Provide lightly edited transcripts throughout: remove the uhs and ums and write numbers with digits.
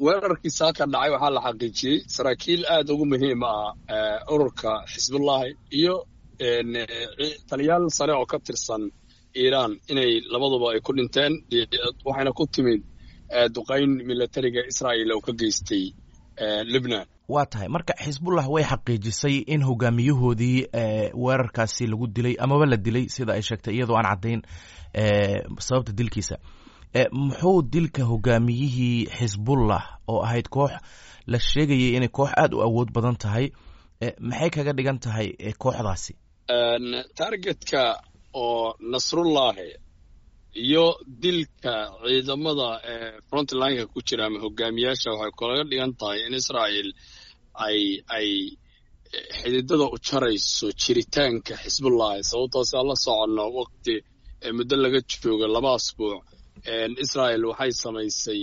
Weerarkii saaka dhacay waxaa la xaqiijiyey saraakiil aad ugu muhiim ah ururka Xisbullahi iyo taliyaal sare oo ka tirsan Iiraan inay labaduba ay ku dhinteen, waxayna ku timid duqayn milatariga Israa'iil oo ka geystay Libnan. Waa tahay, marka Xisbullah way xaqiijisay in hogaamiyahoodii weerarkaasi lagu dilay amaba la dilay, sida ay sheegtay, iyadoo aan caddayn sababta dilkiisa. Muxuu dilka hogaamiyihii Xisbullah, oo ahayd koox la sheegayay inay koox aada u awood badan tahay, maxay kaga dhigan tahay kooxdaasi? Targetka oo Nasrullahi iyo dilka ciidamada frontlineka ku jira ama hogaamiyaasha waxay kalaga dhigan tahay in Israa'iil ay xididada u jarayso jiritaanka Xisbullahi, sababtoo si aan la soconno waqti muddo laga joogo 2 asbuuc Israa'iil waxay samaysay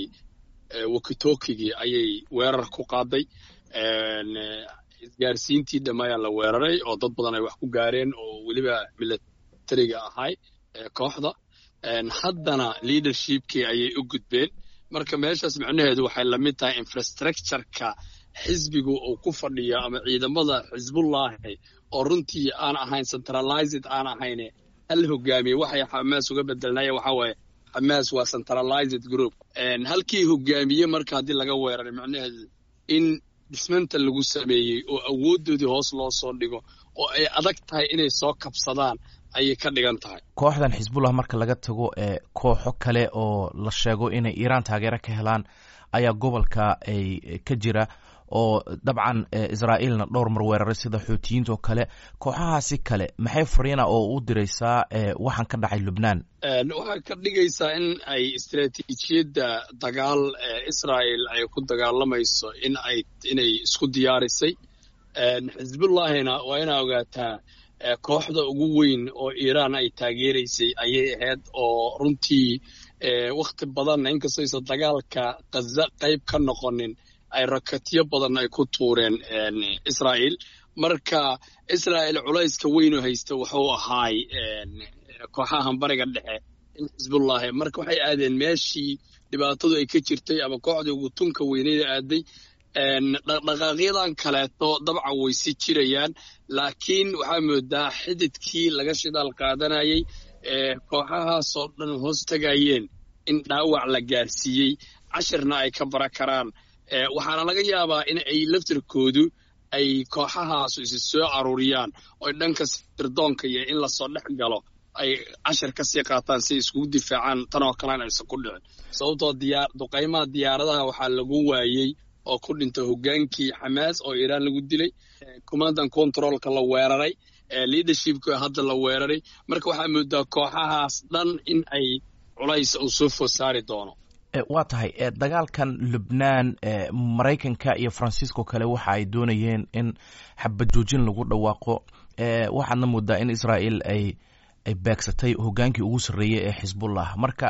walkie-talkiegii ayay weerar ku qaaday, isgaarsiintii dhammayaa la weeraray oo dad badan ay wax ku gaareen oo weliba milatariga ahay kooxda. Haddana leadershipkii ayay u gudbeen. Marka meeshaas micnaheedu waxay lamid tahay infrastructureka xisbigu uu ku fadhiyo ama ciidamada Xisbullahi oo runtii aan ahayn centralized, aan ahayn hal hogaamiye. Waxay Xamaas uga bedelnaya waxaa waaye Xamaas waa centralized group. Halkii hogaamiye marka haddii laga weeraray, micnaheedu in dhismanta lagu sameeyey oo awooddoodii hoos loo soo dhigo oo ay adag tahay inay soo kabsadaan ayay ka dhigan tahay. Kooxdan Xisbullah marka laga tago, kooxo kale oo la sheego inay Iiraan taageero ka helaan ayaa gobolka ay ka jira, oo dabcan Israa'iilna dhowr mar weeraray, sida Xuutiyiinta oo kale. Kooxahaasi kale maxay fariina oo u diraysaa waxaan ka dhacay Lubnaan? Waxay ka dhigaysaa in ay istaraatiijiyadda dagaal ee Israa'il ay ku dagaalamayso in ay inay isku diyaarisay. Xisbullahina waa inaa ogaataa kooxda ugu weyn oo Iiraan ay taageeraysay ayay ahayd, oo runtii wakhti badanna inkastoo aysan dagaalka Qaza qayb ka noqonin ay rakatyo badan ay ku tuureen Israa'iil. Marka Israa'iil culayska weyn oo haysta wuxuu ahaay kooxahan Bariga Dhexe in Xisbullahi. Marka waxay aadeen meeshii dhibaatadu ay ka jirtay ama kooxdii ugu tunka weyneyda aaday. Dhaqdhaqaaqyadan kaleeto dabcan way si jirayaan, laakiin waxaa moodaa xididkii laga shidaal qaadanayay ee kooxahaasoo dhan hoos tagayeen in dhaawac la gaarsiiyey, cashirna ay ka bara karaan. Waxaana laga yaabaa in ay laftirkoodu ay kooxahaasu isi soo aruuriyaan oo dhanka sirdoonka iyo in lasoo dhex galo ay cashir ka sii qaataan si ay iskugu difaacaan tan oo kalena aysan ku dhicin, sababtoo diyaa duqaymaha diyaaradaha waxaa lagu waayey oo ku dhintay hogaankii Xamaas oo Iiraan lagu dilay, command and controlka la weeraray, leadershipka hadda la weeraray. Marka waxaa moodaa kooxahaas dhan in ay culays uu soo food saari doono. Waa tahay, dagaalkan Lubnaan, Maraykanka iyo Faransiisko kale waxa ay doonayeen in xabad joojin lagu dhawaaqo. Waxaadna moodaa in Israa'iil ay beegsatay hogaankii ugu sarreeyey ee Xisbullah. Marka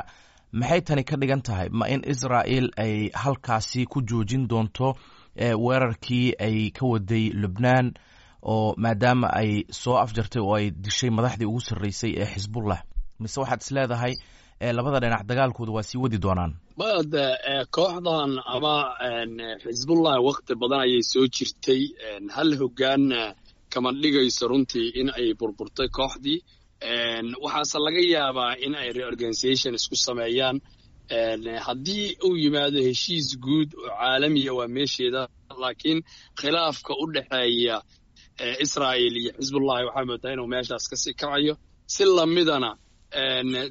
maxay tani ka dhigan tahay? Ma in Israa'iil ay halkaasi ku joojin doonto weerarkii ay ka waday Lubnaan, oo maadaama ay soo afjartay oo ay dishay madaxdii ugu sarreysay ee Xisbullah, mise waxaad is leedahay labada dhinac dagaalkooda waa sii wadi doonaan? Bade kooxdan ama Xisbullah wakti badan ayay soo jirtay, hal hogaanna kama dhigayso runtii in ay burburtay kooxdii. Waxaase laga yaabaa in ay reorganization isku sameeyaan haddii uu yimaado heshiis guud oo caalamiya, waa meesheeda. Laakiin khilaafka u dhexeeya Israa'il iyo Xisbullahi waxaa moodaa inuu meeshaas kasii kacayo. Si lamidana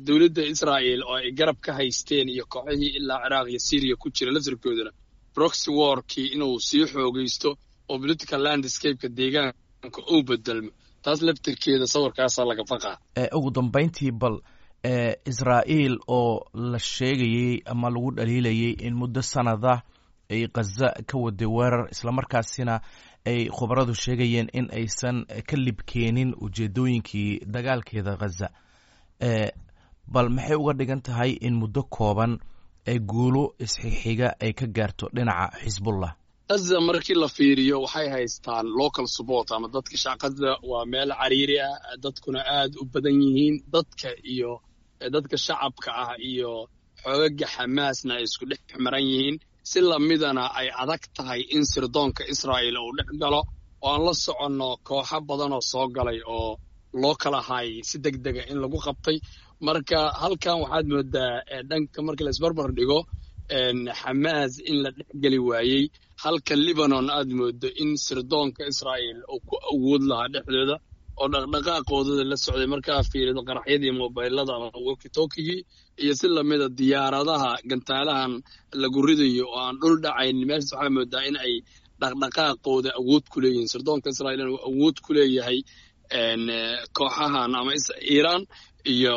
dowladda Israa'il oo ay garab ka haysteen iyo kooxihii ilaa Ciraaq iyo Syriya ku jira laftirkoodana proxy warkii inuu sii xoogaysto oo political landscapeka deegaanka uu bedelmo, taas laftirkeeda sawirkaasaa laga faqaa. Ugu dambayntii, bal Israa'iil oo la sheegayey ama lagu dhaliilayay in muddo sanada ay Khaza ka waday weerar, islamarkaasina ay khubaradu sheegayeen in aysan ka libkeenin ujeedooyinkii dagaalkeeda Khaza, bal maxay uga dhigan tahay in muddo kooban ay guulo isxixiga ay ka gaarto dhinaca Xisbullah? Gaza markii la fiiriyo waxay haystaan local support ama dadka Gaza waa meel cariiri ah, dadkuna aad u badan yihiin, dadka iyo dadka shacabka ah iyo xoogaga Xamaasna ay isku dhex maran yihiin. Si lamidana ay adag tahay in sirdoonka Israa'iil uu dhex galo, oo aan la soconno kooxo badan oo soo galay oo loo kala haayay si deg dega in lagu qabtay. Marka halkan waxaad moodaa dhanka markii la isbarbar dhigo Xamaas in la dhexgeli waayey, halka Libanon aad moodo in sirdoonka Israa'iil uu ku awood lahaa dhexdooda oo dhaqdhaqaaqoodada la socday. Markaa fiirido qaraxyadii mobaylada ama wokitokigii iyo si lamida diyaaradaha gantaalahan lagu ridayo oo aan dhul dhacayn, meeshaas waxaa moodaa in ay dhaqdhaqaaqooda awood ku leeyihiin. Sirdoonka Israa'iilna uu awood ku leeyahay kooxahan ama Iiraan iyo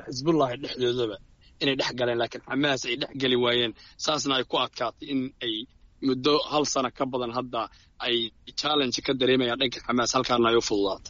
Xisbullahi dhexdoodaba inay dhex galeen, laakiin Xamaas ay dhex geli waayeen, saasna ay ku adkaatay in ay muddo hal sano ka badan hadda ay challenge ka dareemayaan dhanka Xamaas, halkaana ay u fududaatay.